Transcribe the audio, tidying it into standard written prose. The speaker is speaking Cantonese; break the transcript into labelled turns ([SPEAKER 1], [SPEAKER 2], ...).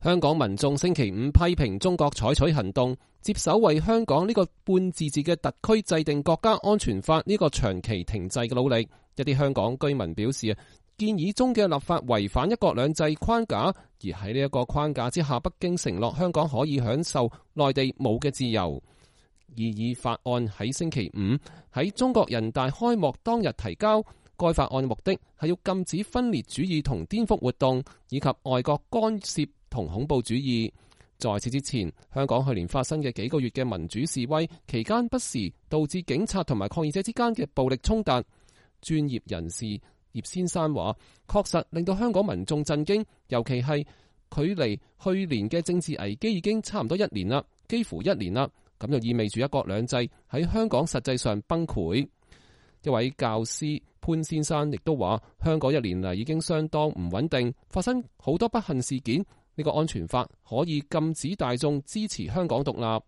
[SPEAKER 1] 香港民眾星期五批評中國採取行動，接手為香港呢個半自治嘅特區制定國家安全法呢個長期停滯嘅努力。一啲香港居民表示，建議中嘅立法違反一國兩制框架，而喺呢一個框架之下，北京承諾香港可以享受內地冇嘅自由。擬議法案喺星期五喺中國人大開幕當日提交。該法案目的係要禁止分裂主義同顛覆活動，以及外國干涉同恐怖主義。在此之前，香港去年發生嘅幾個月嘅民主示威期間，不時導致警察同埋抗議者之間嘅暴力衝突。專業人士葉先生話，確實令到香港民眾震驚，尤其係距離去年嘅政治危機已經差唔多1年啦，幾乎1年啦，咁就意味住一國兩制喺香港實際上崩潰。一位教師潘先生亦都話，香港1年嚟已經相當唔穩定，發生好多不幸事件。呢個安全法可以禁止大眾支持香港獨立。